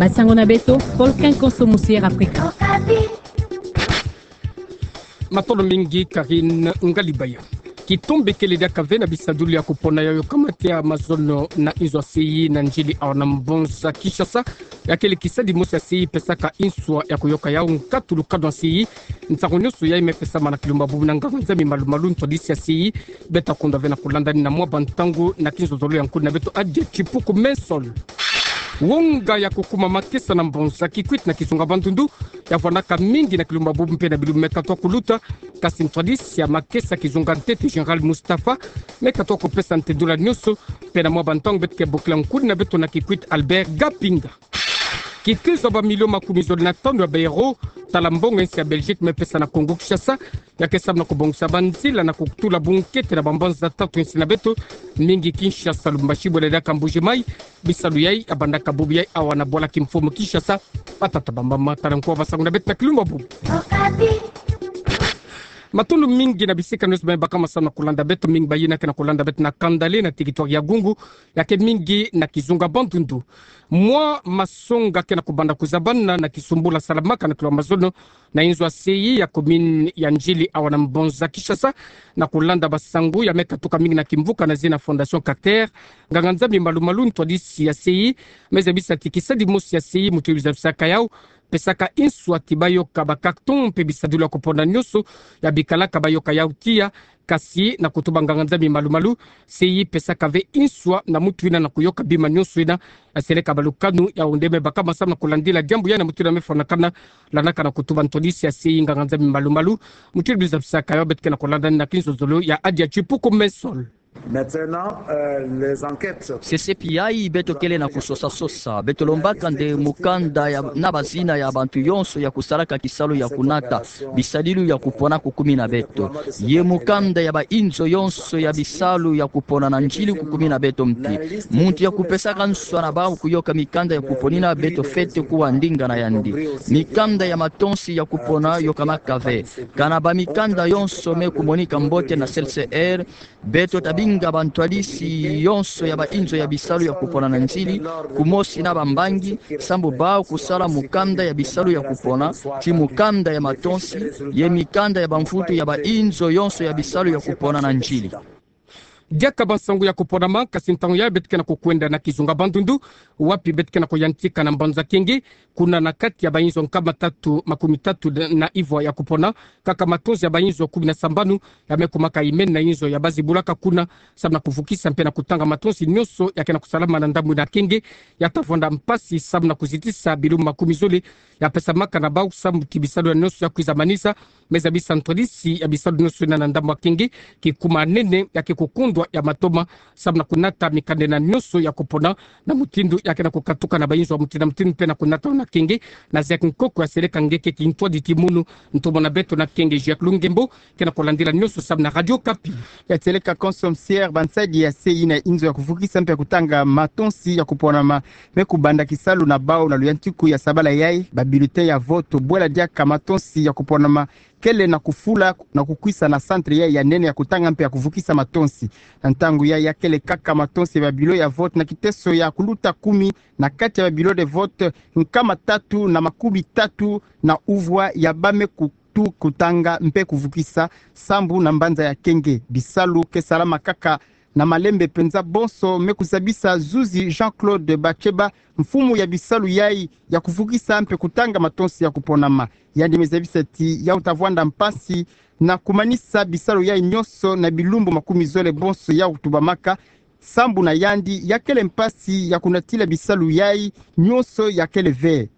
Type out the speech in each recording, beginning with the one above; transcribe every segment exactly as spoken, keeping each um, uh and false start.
Basango na beto, Volcan Conso Musier Africa. Matondo mingi Karine Ngalibaya. Kitombe kele diaka ve na bisadulu ya kupona yayo kamate ya mazono na inzo ya sei na ndili awa na mbonza Kinshasa. Ya kele kisadi mosi ya sei pesaka inswa ya kuyoka yau nkatulu kado ya sei. Nsangu nionso yayi me pesama na kilumba bubu na nganga-nzambi malu-malu ntwadisi ya sei. Beta kundwa ve na kulanda ni na mwa bantangu na kinzozolo ya nkudi na beto Adia Chipuku Mensol. Wonga ya kukuma makesa na mbonza Kikwit na kizunga Bandundu ya vwanaka mingi na kilumba bubu mpe na bilumbu me katwa kuluta, kasi ntwadisi ya makesa kizunga ntete Général Mustapha me katwa kupesa ntendula nionso. Mpe na mwa bantangu beto ke bokila nkudi na beto na Kikwit Albert Gapinga. Kikizo ya bamilio makumi zole na tanu ya baeuro, tala mbongo ya nsi ya Belgique me pesa na Congo Kinshasa, ya ke samu na kubongisa banzila na kutula bunkete na bambanza tatu ya nsi na beto, mingi Kinshasa, Lubumbashi, bwela diaka Mbuji-Mayi. Bisalu yayi ya bandaka bubu yayi awa na bwala kimfumu Kinshasa. Batata bambama, tala nkuwa basangu na beto na kilumba bubu. Matondo mingi na bisika nionso bayi bakama samu na kulanda beto, mingi bayina ke na kulanda beto na kanda le na territoire ya Gungu, ya ke mingi na kizunga Bandundu. Mwa masonga ke na kubanda kuzabana na kisumbula salamaka na kilumba mazono na inzo ya sei ya commune ya Ndjili awa na mbonza Kinshasa. Na kulanda basangu ya me katuka mingi na kimvuka na zina Fondation Carter, nganga-nzambi malu-malu ntwadisi ya sei me zabisa ti kisadi mosi ya sei, muti zabisaka yau, pesaka inswa ti bayoka ba carton mpe bisadulu ya kupona nionso ya bikalaka bayoka yau tiya. Kasi na kutuba nganga-nzambi malu-malu, sei pesaka ve inswa na mutu yina na kuyoka bima nionso yina. Aseleka balukanu ya onde me bakama samu na kulandila diambu yayi na mutu yina me fwanakana, landaka na kutuba ntwadisi ya sei nganga-nzambi malu-malu. Mutu yina zabisaka yau, beto ke na kulanda ni na kinzozolo ya Adia Chipuku Mensol. Maintenant, euh, les enquêtes. Sesepi yayi beto kele na kusosa-sosa. Beto lombaka nde mukanda ya, na bazina ya bantu yonso ya kusalaka kisalu ya kunata bisadilu ya kupona kukumi na beto. Ye mukanda ya bainzo yonso ya bisalu ya kupona na Ndjili kukumi na beto mpi. Muntu ya kupesaka nswa na bau kuyoka mikanda ya kupona yina, beto fwete kuwa ndinga na yandi. Mikanda ya matonsi ya kupona yokamaka ve. Kana bamikanda yonso me kumonika mbote na C L C R, beto tabinga bantwadisi yonso ya bainzo ya bisalu ya kupona na Ndjili, kumosi na bambangi, sambu bau kusala mukanda ya bisalu ya kupona, ti mukanda ya matonsi, ye mikanda ya bamvutu ya bainzo yonso ya bisalu ya kupona na Ndjili. Diaka bansangu ya kuponama, kasi ntangu yayi beto ke na kukwenda na kizunga Bandundu, wapi beto ke na kuyantika na mbanza Kenge, kuna na kati ya bainzo nkama tatu makumi tatu na ivwa ya kupona, kaka matonsi ya bainzo kumi na sambanu ya me kumaka imeni na inzo ya bazibulaka kuna, samu na kuvukisa mpe na kutanga matonsi nionso ya ke na kusalama na ndambu na Kenge, ya ta vwanda mpasi samu na kuzitisa bilumbu makumi zole ya pesamaka na bau samu ti bisalu ya nionso ya kwiza manisa. Me zabisa ntwadisi ya bisalu nionso yina na ndambu ya Kenge, kikuma nene ya ke kukundwa ya matoma samu na kunata mikanda yina nionso ya kupona na mutindu ya ke na kukatuka na bainzo ya mutindu na mutindu mpe na kunata na Kenge. Na Jacques Nkoko ya seleka nge ke kintwadi ti munu, ntomo na beto na Kenge Jacques Lungembo, ke na kulandila nionso samu na Radio Okapi. Ya seleka Conso Musier, bansadi ya sei na inzo ya kuvukisa mpe ya kutanga matonsi ya kuponama me kubanda kisalu na bau na luyantiku ya sabala yayi, ba bulletin ya vote, bwela diaka matonsi ya kuponama kele na kufula na kukwisa na centre yayi ya nene ya kutanga mpe ya kuvukisa matonsi. Na ntangu yayi ya kele kaka matonsi ya ba bureau ya vote na kiteso ya kuluta kumi na kati ya ba bureau de vote nkama tatu na makumi tatu na uvwa ya ba me kutu kutanga mpe kuvukisa sambu na mbanza ya Kenge. Bisalu ke salama kaka na malembe mpenza. Bonso me kuzabisa zuzi Jean-Claude Batsheba, mfumu ya bisalu yayi ya kuvukisa mpe kutanga matonsi ya kuponama. Yandi me zabisa ti yau ta vwanda mpasi na kumanisa bisalu yayi nionso na bilumbu makumi zole bonso yau tubamaka. Sambu na yandi ya kele mpasi ya kunatila bisalu yayi nionso ya kele ve.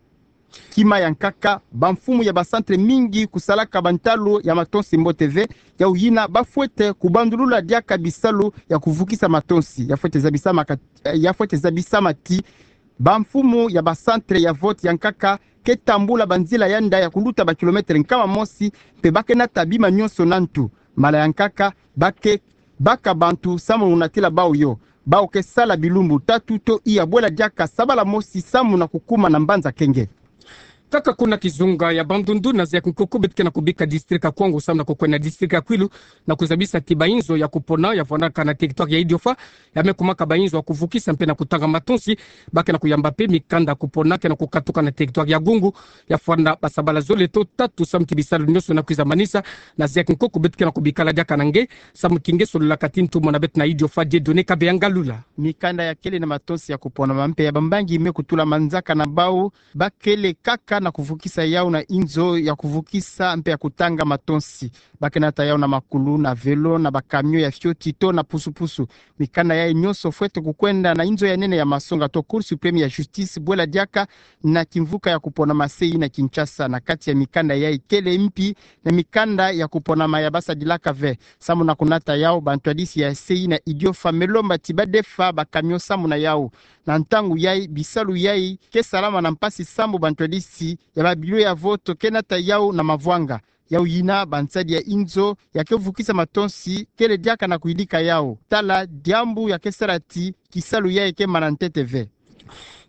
Kima ya nkaka, bamfumu ya ba centre mingi kusalaka bantalu ya matonsi mbote ve, yau yina ba fwete kubandulula diaka bisalu ya kuvukisa matonsi. Ya fwete zabisama ka-, ya fwete zabisama ti bamfumu ya ba centre ya vote ya nkaka ke tambula banzila ya nda ya kuluta ba kilomètre nkama mosi, mpe ba ke nata bima nionso na ntu. Mala ya nkaka, ba ke baka bantu samu na kunatila bau yo. Bau ke sala bilumbu tatu to iya bwela diaka sabala mosi samu na kukuma na mbanza Kenge. Kaka kuna kizunga ya Bandundu, na zeyi ya kinkoko beto ke na kubika district ya Kwango samu na kukwenda district ya Kwilu, na kuzabisa ti bainzo ya kupona ya vwanaka na territoire ya Idiofa, ya me kumaka bainzo ya kuvukisa mpe na kutanga matonsi, ba ke na kuyamba mpe mikanda ya kupona ke na kukatuka na territoire ya Gungu, ya fwana basabala zole to tatu samu ti bisalu nyonso na kwiza manisa, na zeyi ya kinkoko beto ke na kubikala diaka na nge, samu ti nge sololaka ti ntumwa na beto na Idiofa Dieudonné Kabeya Ngalula. Mikanda ya kele na matonsi ya kupona ma mpe ya bambangi me kutula manzaka na bau, ba kele kaka na kuvukisa yau na inzo ya kuvukisa mpe ya kutanga matonsi. Ba ke nata yau na makulu, na velo, na bacamion ya fioti to na pusu-pusu. Mikanda yai nyonso fwete kukwenda na inzo ya nene ya masonga to Cour suprême ya justice, bwela diaka na kimvuka ya kupona ma sei na Kinshasa. Na kati ya mikanda yai kele mpi na mikanda ya kupona ma ya basadilaka ve. Samu na kunata yau, bantwadisi ya sei na Idiofa me lomba ti ba defa bacamion samu na yau. Na ntangu yai, bisalu yai ke salama na mpasi samu bantwadisi ya babilo ya voto ke nata yau na mavwanga. Yau yina, bansadi ya inzo ya ke vukisa matonsi kele diaka na kuyidika yau. Tala diambu ya ke sala ti kisalu yai ke mana ntete ve.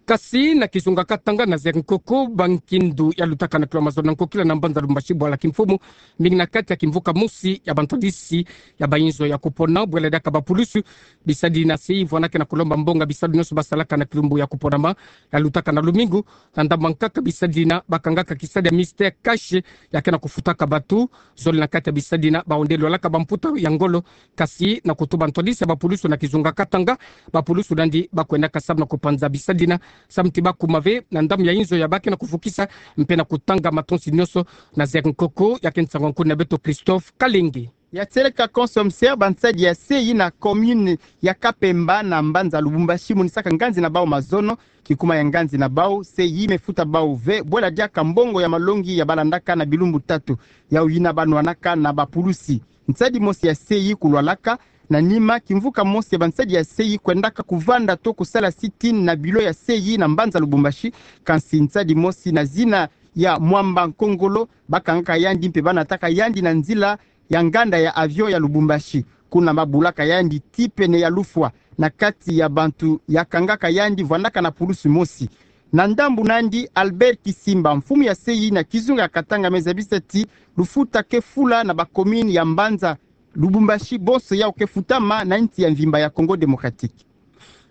Kasi na kizunga Katanga, na zeyi ya kinkoko, bankindu ya lutaka na kilo mazono na nkokila na mbanza Lubumbashi bwala kimfumu, mingi na kati ya kimvuka mosi ya bantwadisi ya bainzo ya kupona, bwela diaka bapulusu, bisadi na sei vwanaka na kulomba mbongo ya bisalu nyonso basalaka na kilumbu ya kupona ma ya lutaka na lumingu, na ndambu ya nkaka bisadi na bakangaka kisadi ya Mister Cash ya ke na kufutaka bato, zole na kati ya bisadi na baonde lwalaka bamputa ya ngolo. Kasi na kutuba ntwadisi ya bapulusu na kizunga Katanga, bapulusu nandi ba kwendaka samu na kupanza bisadi na samu ti ba kuma ve na ndambu ya inzo ya ba ke na kuvukisa mpe na kutanga matonsi nyonso. Na zeyi ya kinkoko, ya ke nsangu ya nkuni na beto Christophe Kalenge. Ya tieleka consommation, bansadi ya sei na commune ya Kapemba na mbanza Lubumbashi monisaka nganzi na bau mazono, kikuma ya nganzi na bau, sei me futa bau ve, bwela diaka mbongo ya malongi ya balandaka na bilumbu tatu. Yau yina ba nwanaka na bapulusi. Nsadi mosi ya sei kulwalaka, na nima kimvuka mosi ya bansadi ya sei kwendaka kuvanda to kusala sit-in na bilo ya sei na mbanza Lubumbashi, kansi nsadi mosi na zina ya Mwamba Nkongolo, bakangaka yandi mpe banataka yandi na nzila ya nganda ya avion ya Lubumbashi. Kuna babulaka yandi ti pene ya lufwa na kati ya bantu ya kangaka yandi vwandaka na pulusu mosi. Na ndambu nandi, Albert Kisimba, mfumu ya sei na kizunga ya Katanga, me zabisa ti lufuta ke fula na bacommune ya mbanza Lubumbashi bonso yau ke futama na nsi ya mvimba ya Congo Démocratique.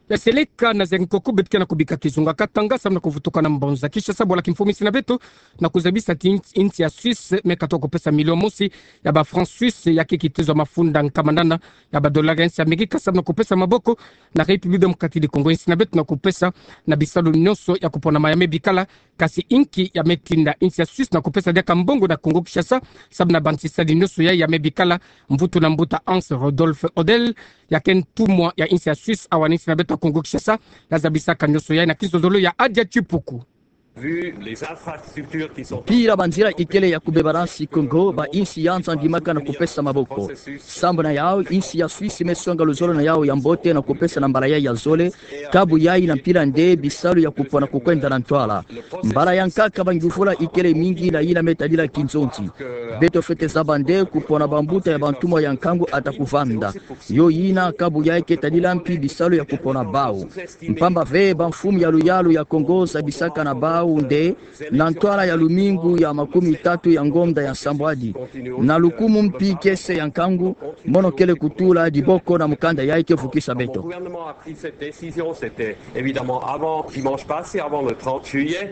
Ya seleka na zengi koko beto ke na kubika kizunga Katanga samu na kuvutuka na mbanza Kinshasa bwala kimfumu insi na beto na kuzabisa ti insi, insi ya Suisse me katuka kupesa million mosi ya ba francs suisses ya ke kitezo mafunda nkama nana ya ba dollars ya insi ya Amerika samu na kupesa maboko na République Démocratique du Congo insi na beto na kupesa na bisalu nyonso ya kuponama ya me bikala. Kasi inki ya me tinda insi ya Suisse na kupesa diaka mbongo na Congo Kinshasa samu na bansi sadi nyonso ya, ya me bikala? Mvutu na mbuta Hans Rodolphe Odel, ya ke ntumwa ya insi ya Suisse awa na insi na beto ya Congo Kinshasa, na zabisaka nyonso ya na kizololo ya Adia Chipuku. Vu les infrastructures qui sont... Mpila banzila ikele ya kubeba na nsi Congo, ba insi ya nza ndimaka na kupesa maboko. Sambu na yau, insi ya Suisse me songa luzolo na yau ya mbote na kupesa na mbala yai ya zole, kabu yai na mpila nde bisalu ya kupona kukwenda na ntwala. Mbala ya nkaka bangyuvula ikele mingi na yina me tadila kinzonzi. Beto fwete zaba nde kupona bambuta ya bantumwa ya nkangu ata kuvanda. Yo yina kabu yai ke tadila mpi bisalu ya kupona bau. Mpamba ve bamfumu ya luyalu ya Congo zabisaka na bau nde na ntwala ya lumingu ya makumi tatu ya ngonda ya nsambwadi, na lukumu mpi kiese ya nkangu, mono kele kutula diboko na mukanda yai ke vukisa beto. Quand le gouvernement a pris cette décision, c'était évidemment avant dimanche passé, avant le trente juillet.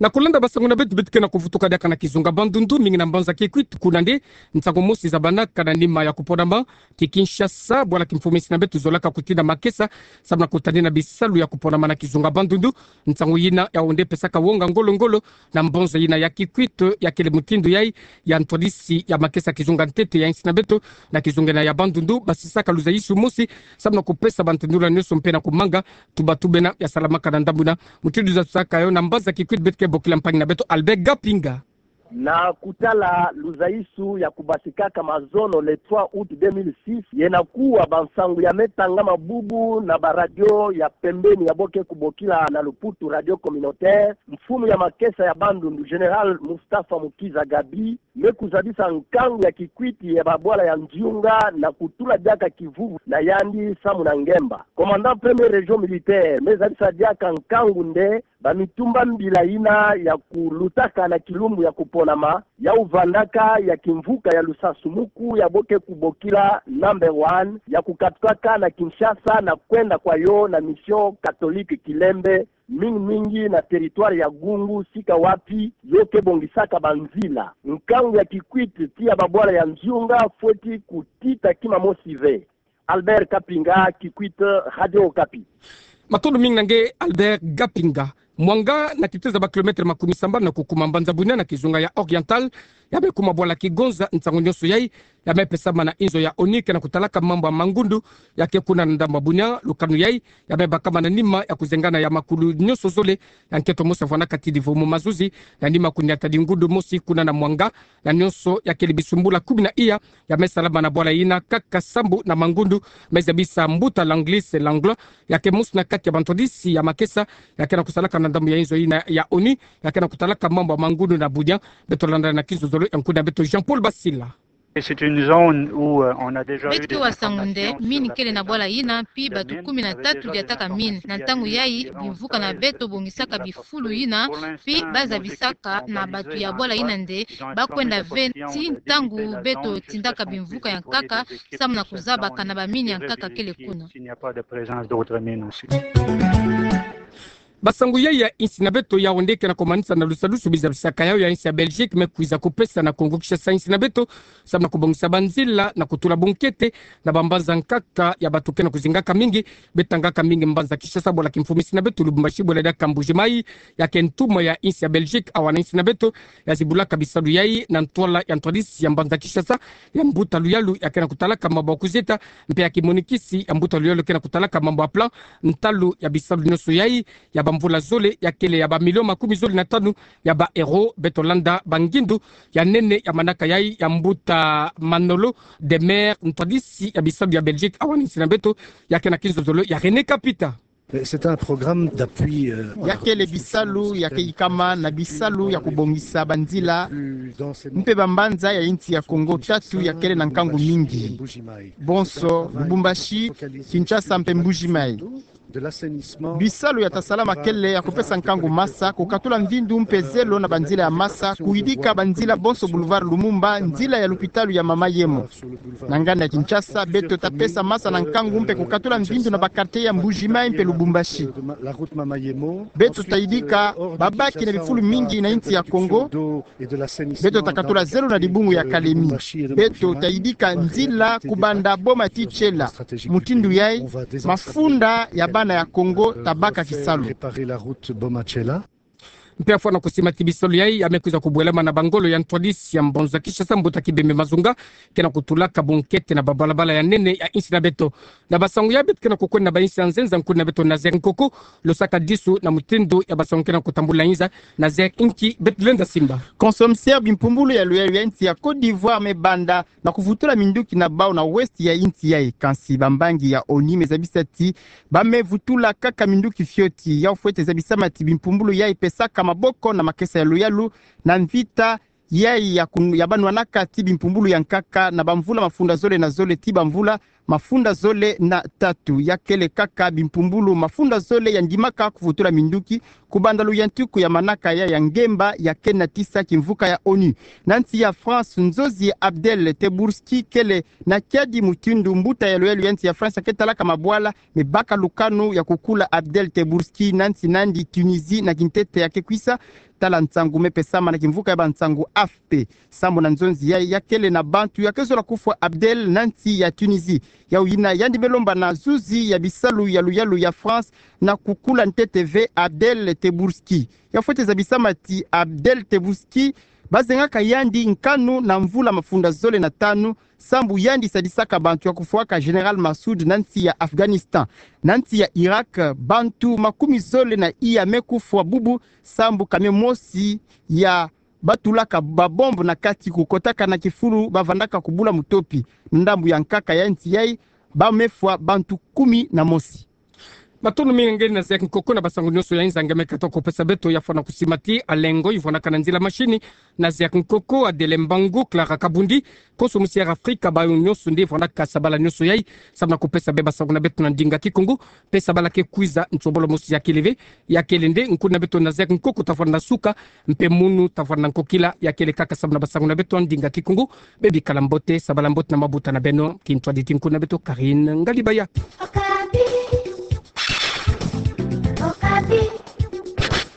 Na kulanda basango na beto, beto ke na kuvutuka diaka na kizunga Bandundu, mingi na mbanza Kikwit, kuna nde nsangu mosi zabanaka na nima ya kuponama ti Kinshasa bwala kimfumu insi na beto zolaka kutinda makesa samu na kutadina bisalu ya kuponama na kizunga Bandundu. Nsangu yina yau nde pesaka wonga ngolo-ngolo na mbanza yina ya Kikwit, ya kele mutindu yai ya ntwadisi ya makesa kizunga ntete ya insi na beto na kizunga yina ya Bandundu, basisaka luzaisu mosi samu na kupesa bantindula nyonso mpe na kumanga tuba tubena ya salamaka na ndambu yina. Mutindu zabisaka yo na mbanza Kikwit, beto ke bokila mpangi na beto Albert Gapinga. Na kutala luzaisu ya kubasikaka mazono le trois août deux mille six, yena kuwa bansangu ya me tangama bubu na ba radio ya pembeni ya bo ke kubokila na luputu radio communautaire, mfumu ya makesa ya Bandundu, Général Mustapha Mukiza Gabi, me kuzabisa nkangu ya kikwiti ya babwala ya Nziunga na kutula diaka kivuvu na yandi samu na ngemba. Commandant première région militaire me zabisa diaka nkangu nde bamitumba mbila yina ya kulutaka na kilumbu ya kuponama, ya uvandaka ya kimvuka ya lusansumuku ya bo ke kubokila number one, ya kukatukaka na Kinshasa na kwenda kwa yo na mission catholique Kilembe, mingi mingi na territoire ya Gungu, sika wapi yo ke bongisaka banzila. Nkangu ya kikwiti ti ya babwala ya Nziunga fweti kutita kima mosi ve. Albert Kapinga, Kikwit, Radio Okapi. Matondo mingi na nge Albert Kapinga. Mwanga na kitezo ya ba kilomètre makumi sambanu na kukuma mbanza Bunia na kizunga ya Oriental, ya me kuma bwala kigonza. Nsangu nyonso yai ya me pesama na inzo ya ONU ke na kutalaka mambu ya mangundu ya ke kuna na ndambu ya Bunia. Lukanu yai ya me bakama na nima ya kuzengana ya makulu nyonso zole ya nkento mosi ya vwanaka ti divumu mazuzi, na nima kuniata di ngundu mosi kuna na Mwanga, na nyonso ya kele bisumbula kumi na iya ya me salama na bwala yina kaka sambu na mangundu. Me zabisa mbuta Langlis Langlo, ya ke mosi na kati ya bantwadisi ya makesa ya ke na kusalaka na ndambu ya inzo yina ya ONU ya ke na kutalaka mambu ya mangundu na Bunia. Beto landa na kinzozolo ya nkuna beto Jean-Paul Basila. Et c'est une zone où, euh, on a déjà eu des informations sur la présence de drones. Beto ke wa sangu nde mine kele na bwala yina, pi batu kumi na tatu diataka mine. Na ntangu yai, bimvuka na beto bongisaka bifulu yina, pi ba zabisaka na batu ya bwala yina nde ba kwenda ve ti ntangu beto tindaka bimvuka ya nkaka, samu na kuzaba kana ba mine ya nkaka kele kuna. Basangu yai ya insi na beto, yawu nde ke na komanisa na lusalusu bizabisaka yawu ya insi ya Belgique me kwiza kupesa na Congo Kinshasa insi na beto, samu na kubongisa banzila na kutula bunkete na bambanza nkaka ya batu ke na kuzingaka mingi. Be tangaka mingi mbanza Kinshasa, bwala kimfumu insi na beto Lubumbashi, bwala diaka Mbuji-Mayi, ya ke ntuma ya insi ya Belgique awa na insi na beto, ya zibulaka bisalu yai na ntwala ya ntwadisi ya mbanza Kinshasa, ya mbuta luyalu ya ke na kutalaka mambu ya kuzeta, mpe ya kimonikisi ya mbuta luyalu ke na kutalaka mambu ya plan, ntalu ya bisalu nyonso yai ya bamvula zole ya kele ya bamilio makumi zole na tanu ya ba euro. Beto landa bangindu ya nene ya manaka yai ya mbuta Manolo Demer, ntwadisi ya bisalu ya Belgique awa na insi na beto, ya ke na kinzozolo ya René Kapita. Mais c'est un programme d'appui, euh, ya kele bisalu ya ke yikama na bisalu ya kubongisa banzila mpe bambanza ya insi ya Congo tatu ya kele na nkangu mingi. Bonso, Lubumbashi, Kinshasa mpe Mbuji-Mayi. Bisalu ya ta salama kele ya kupesa nkangu masa, kukatula mvindu mpe zelo na banzila ya masa, kuyidika banzila bonso boulevard Lumumba, nzila ya lupitalu ya Mama Yemo. Na nganda ya Kinshasa, beto ta pesa masa na nkangu mpe kukatula mvindu na ba quartier ya Mbuji-Mayi mpe Lubumbashi. Beto ta yidika babaki na bifulu mingi na insi ya Congo. Beto ta katula zelo na dibungu ya Kalemi. Beto ta yidika nzila kubanda Boma ti Tshela. Mutindu yai, mafunda ya bana ya Congo ta baka kisalu. Mpe afwana kusima ti bisalu yai ya me kwiza kubwelama na bangolo ya ntwadisi ya mbanza Kinshasa, mbuta Kibembe Mazunga ke na kutulaka bunkete na babalabala ya nene ya insi na beto. Na basangu ya beto ke na kukwenda na bainsi ya nzenza, nkuni na beto Nazaire Nkoko, lo saka disu na mutindu ya basangu ke na kutambula inza. Nazaire, nki beto lenda simba? Consommation bimpumbulu ya luyalu ya insi ya Côte d'Ivoire me banda na kuvutula minduki na bau na ouest ya insi yai. Kansi bambangi ya ONU me zabisa ti ba me vutula kaka minduki fioti. Yawu fwete zabisama ti bimpumbulu yai pesaka maboko na makesa ya luyalu na mvita yai ya kun-, ya banwanaka ti bimpumbulu ya nkaka na bamvula mafunda zole na zole ti bamvula mafunda zole na tatu. Ya kele kaka bimpumbulu mafunda zole ya ndimaka kuvutula minduki kubanda luyantiku ya manaka ya, ya ngemba ya ke natisa kimvuka ya ONU. Na nsi ya France, nzonzi Abdel Tebbourski kele na kiadi mutindu mbuta ya luyalu ya nsi ya France ya ke talaka mabwala me baka lukanu ya kukula Abdel Tebbourski na nsi nandi Tunisie na kintete ya ke kwisa. Tala nsangu me pesama na kimvuka ya bansangu A F P. Sambu na nzonzi yai, ya kele na bantu ya ke zola kufwa Abdel na nsi ya Tunisie. Yawu yina yandi me lomba na zuzi ya bisalu ya luyalu ya France na kukula ntete ve Abdel Tebbourski. Ya fwete zabisama ti Abdel Tebbourski ba zengaka yandi nkanu na mvula mafunda zole na tanu, sambu yandi sadisaka bantu ya kufwaka Général Massoud na nsi ya Afghanistan. Na nsi ya Irak, bantu makumi zole na iya me kufwa bubu, sambu camion mosi ya batulaka babombe na kati kukotaka na kifulu bavandaka kubula mutopi. Ndambu ya nkaka ya nsi yai, ba me fwa bantu kumi na mosi. Matondo mingi ngendi na Zeya Kinkoko na basango nyonso ya Nzangi ameka toko pesa beto ya fwana kusimati, Alengo Ivona Kananzila, mashini na Zeya Kinkoko, Adele Mbangu, Clara Kabundi, konso musi ya Afrika, bayo nyonso nde fwanaka sabala nyonso yai, samu na kupesa bê basango na beto na ndinga Kikongo. Pe sabala ke kwiza, nsombolo mosi ya kele ve, ya kele nde, nkuna beto na Zeya Kinkoko tafwana na suka, mpe munu tafwana na nkokila, ya kele kaka samu na basango na beto na ndinga Kikongo. Bebikala mbote, sabala mbote na mabuta na beno, kintwaditi nkuna beto Karine Ngalibaya.